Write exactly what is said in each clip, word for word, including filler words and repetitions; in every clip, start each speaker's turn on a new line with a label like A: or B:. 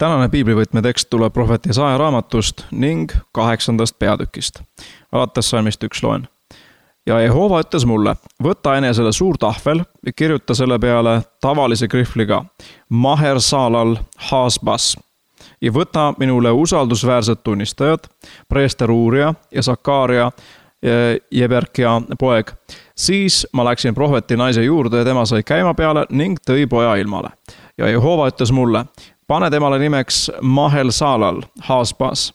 A: Tänane piiblivõtme tekst tuleb prohvet Jesaja raamatust ning kaheksandast peatükist. Alates salmist üks loen. Ja Jehova ütles mulle, võta enesele suur tahvel ja kirjuta selle peale tavalise krihvliga Maher Salal Hasbas ja võta minule usaldusväärsed tunnistajad, preester Uuria ja Sakaaria Jeberkia poeg. Siis ma läksin prohveti naise juurde ja tema sai käima peale ning tõi poja ilmale. Ja Jehova ütles mulle, pane temale nimeks Mahel Salal Hasbas,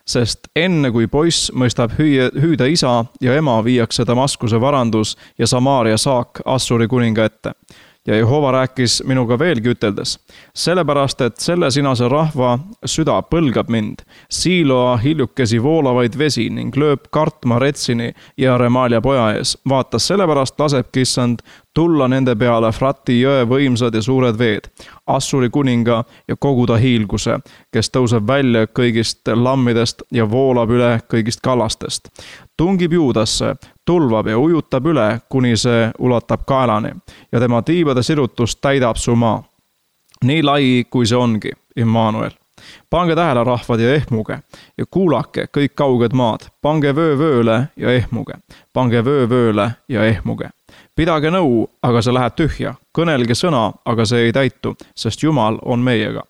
A: sest enne kui poiss mõistab hüüe, hüüda isa ja ema viiakse Damaskuse varandus ja Samaaria saak Assuri kuninga ette. Ja Jehova rääkis minuga veelgi üteldes, sellepärast, et selle sinase rahva süda põlgab mind, siiloa hiljukesi voolavaid vesi ning lööb kartma Retsini ja Remalia poja ees. Vaatas sellepärast lasebki issand tulla nende peale Frati jõe võimsad ja suured veed, Assuri kuninga ja koguda hiilguse, kes tõuseb välja kõigist lammidest ja voolab üle kõigist kallastest. Tungib Juudasse, tulvab ja ujutab üle, kuni see ulatab kaelani ja tema tiibade sirutust täidab su maa. Nii lai, kui see ongi, Immanuel. Pange tähele rahvad ja ehmuge ja kuulake kõik kauged maad. Pange vöö vööle ja ehmuge. Pange vöö vööle ja ehmuge. Pidage nõu, aga see läheb tühja. Kõnelge sõna, aga see ei täitu, sest Jumal on meiega.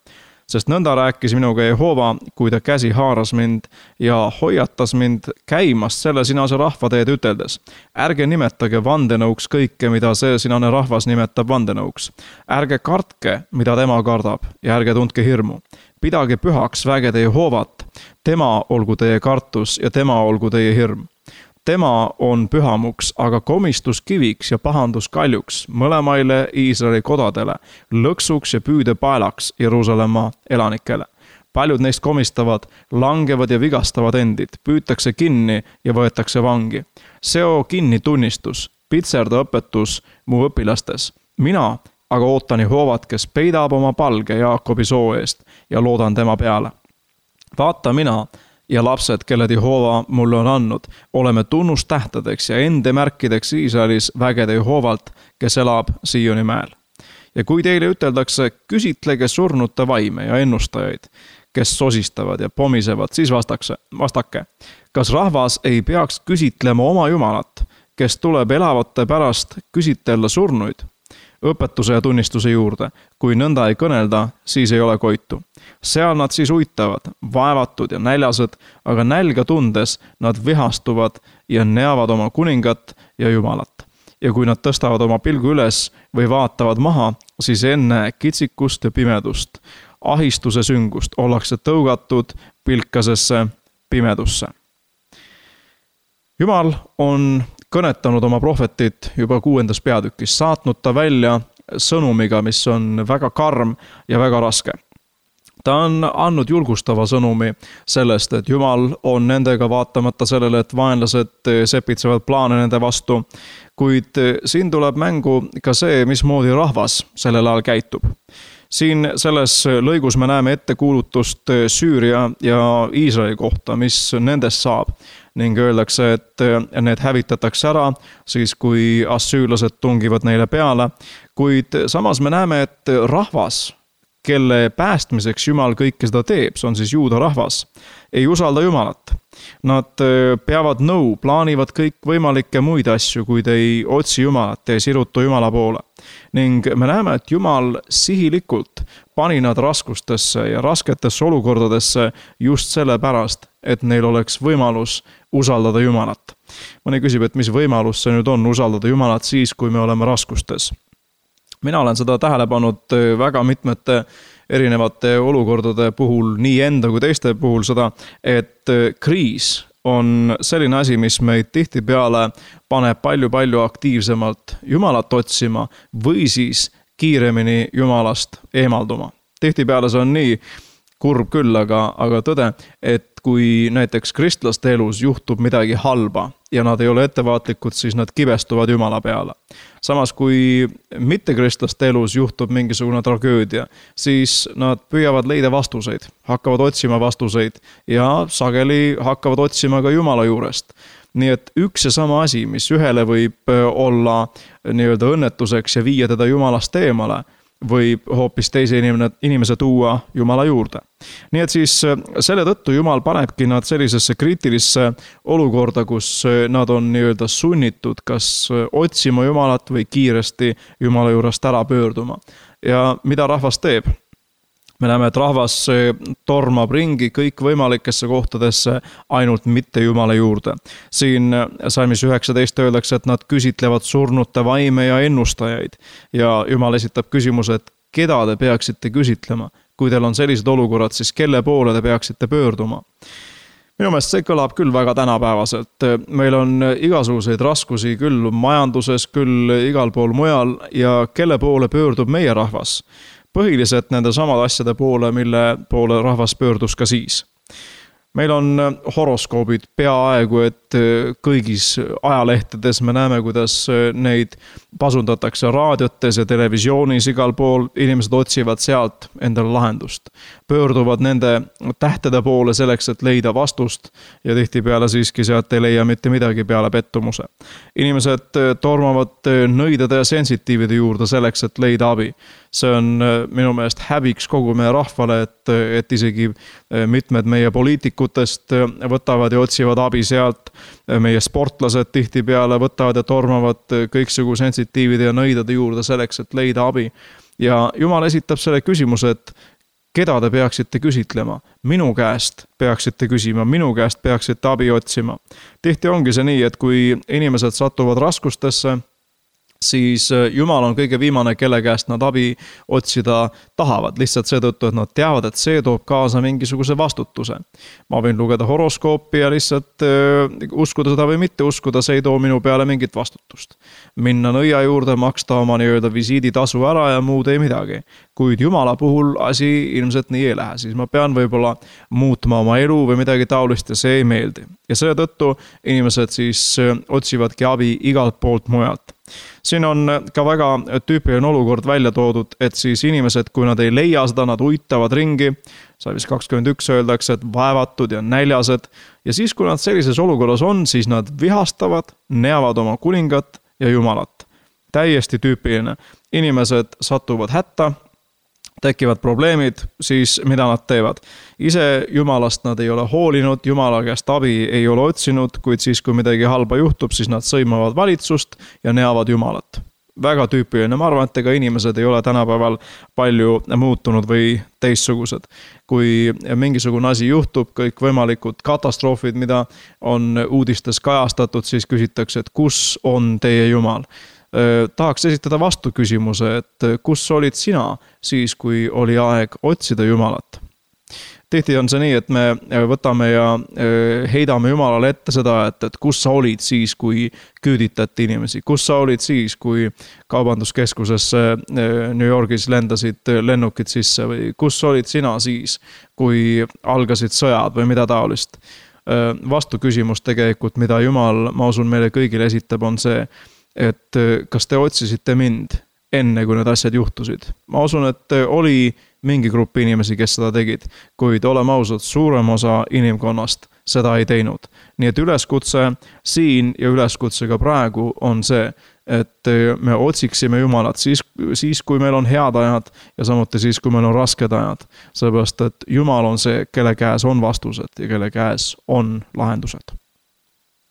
A: Sest nõnda rääkis minuga Jehova, kui ta käsi haaras mind ja hoiatas mind käimast selle sinase rahvateed üteldes. Ärge nimetage vandenõuks kõike, mida see sinane rahvas nimetab vandenõuks. Ärge kartke, mida tema kardab ja ärge tundke hirmu. Pidage pühaks vägede Jehovat, tema olgu teie kartus ja tema olgu teie hirm. Tema on pühamuks, aga komistus kiviks ja pahandus kaljuks mõlemaile Iisraeli kodadele, lõksuks ja püüde paelaks Jeruusalemma elanikele. Paljud neist komistavad, langevad ja vigastavad endid, püütakse kinni ja võetakse vangi. Seo kinni tunnistus, pitserda õpetus mu õpilastes. Mina aga ootan Jehovat, kes peidab oma palge Jaakobi soo eest ja loodan tema peale. Vaata mina ja lapsed, kelled Jehova mulle on andnud, oleme tunnustähtedeks ja ende märkideks Iisraelis vägede Jehovalt, kes elab Sioni mäel. Ja kui teile üteldakse, küsitlege surnute vaime ja ennustajaid, kes sosistavad ja pomisevad, siis vastakse, vastake. Kas rahvas ei peaks küsitlema oma Jumalat, kes tuleb elavate pärast küsitella surnuid? Õpetuse ja tunnistuse juurde. Kui nõnda ei kõnelda, siis ei ole koitu. Seal nad siis uitavad, vaevatud ja näljased, aga nälga tundes nad vihastuvad ja neavad oma kuningat ja Jumalat. Ja kui nad tõstavad oma pilgu üles või vaatavad maha, siis enne kitsikust ja pimedust, ahistuse süngust ollakse tõugatud pilkasesse pimedusse. Jumal on kõnetanud oma prohvetit juba kuuendas peatükis, saatnud ta välja sõnumiga, mis on väga karm ja väga raske. Ta on andnud julgustava sõnumi sellest, et Jumal on nendega vaatamata sellele, et vaenlased sepitsevad plaane nende vastu, kuid siin tuleb mängu ka see, mismoodi rahvas sellel ajal käitub. Siin selles lõigus me näeme ettekuulutust Süüria ja Iisraeli kohta, mis nendest saab. Ning öeldakse, et need hävitatakse ära, siis kui assüürlased tungivad neile peale. Kuid samas me näeme, et rahvas, kelle päästmiseks Jumal kõike seda teeb, see on siis juuda rahvas, ei usalda Jumalat. Nad peavad nõu, plaanivad kõik võimalikke muid asju, kuid ei otsi Jumalat, ei sirutu Jumala poole. Ning me näeme, et Jumal sihilikult pani nad raskustesse ja rasketesse olukordadesse just selle pärast, et neil oleks võimalus usaldada Jumalat. Mõni küsib, et mis võimalus see nüüd on usaldada Jumalat siis, kui me oleme raskustes. Mina olen seda tähele pannud väga mitmete erinevate olukordade puhul, nii enda kui teiste puhul seda, et kriis on selline asi, mis meid tihtipeale paneb palju-palju aktiivsemalt Jumalat otsima või siis kiiremini Jumalast eemalduma. Tihtipeale see on nii kurb küll, aga, aga tõde, et kui näiteks kristlaste elus juhtub midagi halba ja nad ei ole ettevaatlikud, siis nad kibestuvad Jumala peale. Samas kui mittekristlaste elus juhtub mingisugune tragöödia, siis nad püüavad leida vastuseid, hakkavad otsima vastuseid ja sageli hakkavad otsima ka Jumala juurest. Nii et üks ja sama asi, mis ühele võib olla nii-öelda õnnetuseks ja viia teda Jumalast eemale, võib hoopis teise inimene, inimese tuua Jumala juurde. Nii et siis selle tõttu Jumal panebki nad sellisesse kriitilisse olukorda, kus nad on nii-öelda sunnitud kas otsima Jumalat või kiiresti Jumala juurest ära pöörduma. Ja mida rahvas teeb? Me näeme, et rahvas tormab ringi kõik võimalikesse kohtadesse, ainult mitte Jumala juurde. Siin salmis üheksateist öeldakse, et nad küsitlevad surnute vaime ja ennustajaid. Ja Jumal esitab küsimuse, et keda te peaksite küsitlema? Kui teil on sellised olukorrad, siis kelle poole te peaksite pöörduma? Minu meelest see kõlab küll väga tänapäevaselt. Meil on igasuguseid raskusi küll majanduses, küll igal pool mujal ja kelle poole pöördub meie rahvas? Põhiliselt nende samad asjade poole, mille poole rahvas pöördus ka siis. Meil on horoskoobid peaaegu, et kõigis ajalehtedes me näeme, kuidas neid pasundatakse raadiotes ja televisioonis igal pool. Inimesed otsivad sealt endale lahendust. Pöörduvad nende tähtede poole selleks, et leida vastust ja tihtipeale siiski sealt ei leia mitte midagi peale pettumuse. Inimesed tormavad nõidade ja sensitiivide juurde selleks, et leida abi. See on minu meelest häbiks kogu meie rahvale, et, et isegi mitmed meie poliitikutest võtavad ja otsivad abi sealt. Meie sportlased tihtipeale võtavad ja tormavad kõiksugu sensitiivide ja nõidade juurde selleks, et leida abi. Ja Jumal esitab selle küsimuse, et keda te peaksite küsitlema? Minu käest peaksite küsima, minu käest peaksite abi otsima. Tihti ongi see nii, et kui inimesed satuvad raskustesse, siis Jumal on kõige viimane, kelle käest nad abi otsida tahavad. Lihtsalt seetõttu, et nad teavad, et see toob kaasa mingisuguse vastutuse. Ma võin lugeda horoskoopi ja lihtsalt uskuda seda või mitte uskuda, see ei too minu peale mingit vastutust. Minna nõia juurde, maksta oma nii-öelda visiiditasu ära ja muud ei midagi. Kuid Jumala puhul asi ilmselt nii ei lähe. Siis ma pean võib-olla muutma oma elu või midagi taolist ja see ei meeldi. Ja selle tõttu inimesed siis otsivadki abi igalt poolt mujalt. Siin on ka väga tüüpiline olukord välja toodud, et siis inimesed, kui nad ei leia seda, nad uitavad ringi. Salmis kakskümmend üks öeldakse, et vaevatud ja näljased. Ja siis, kui nad sellises olukorras on, siis nad vihastavad, neavad oma kuningat ja Jumalat. Täiesti tüüpiline. Inimesed satuvad hätta, tekivad probleemid, siis mida nad teevad? Ise Jumalast nad ei ole hoolinud, Jumala käest abi ei ole otsinud, kuid siis, kui midagi halba juhtub, siis nad sõimavad valitsust ja neavad Jumalat. Väga tüüpiline. Ma arvan, et ega inimesed ei ole tänapäeval palju muutunud või teistsugused. Kui mingisugune asi juhtub, kõik võimalikud katastroofid, mida on uudistes kajastatud, siis küsitakse, et kus on teie Jumal? Tahaks esitada vastu küsimuse, et kus olid sina siis, kui oli aeg otsida Jumalat? Tihti on see nii, et me võtame ja heidame Jumalale ette seda, et, et kus sa olid siis, kui küüditati inimesi, kus sa olid siis, kui kaubanduskeskusesse New Yorgis lendasid lennukid sisse või kus olid sina siis, kui algasid sõjad või mida taolist. Vastu küsimus tegelikult, mida Jumal, ma usun, meile kõigile esitab, on see, et kas te otsisite mind enne, kui need asjad juhtusid. Ma usun, et oli mingi grupp inimesi, kes seda tegid, kuid oleme ausad, suurem osa inimkonnast seda ei teinud. Nii et üleskutse siin ja üleskutse ka praegu on see, et me otsiksime Jumalat siis, siis, kui meil on head ajad ja samuti siis, kui meil on rasked ajad. Sellepärast, et Jumal on see, kelle käes on vastused ja kelle käes on lahendused.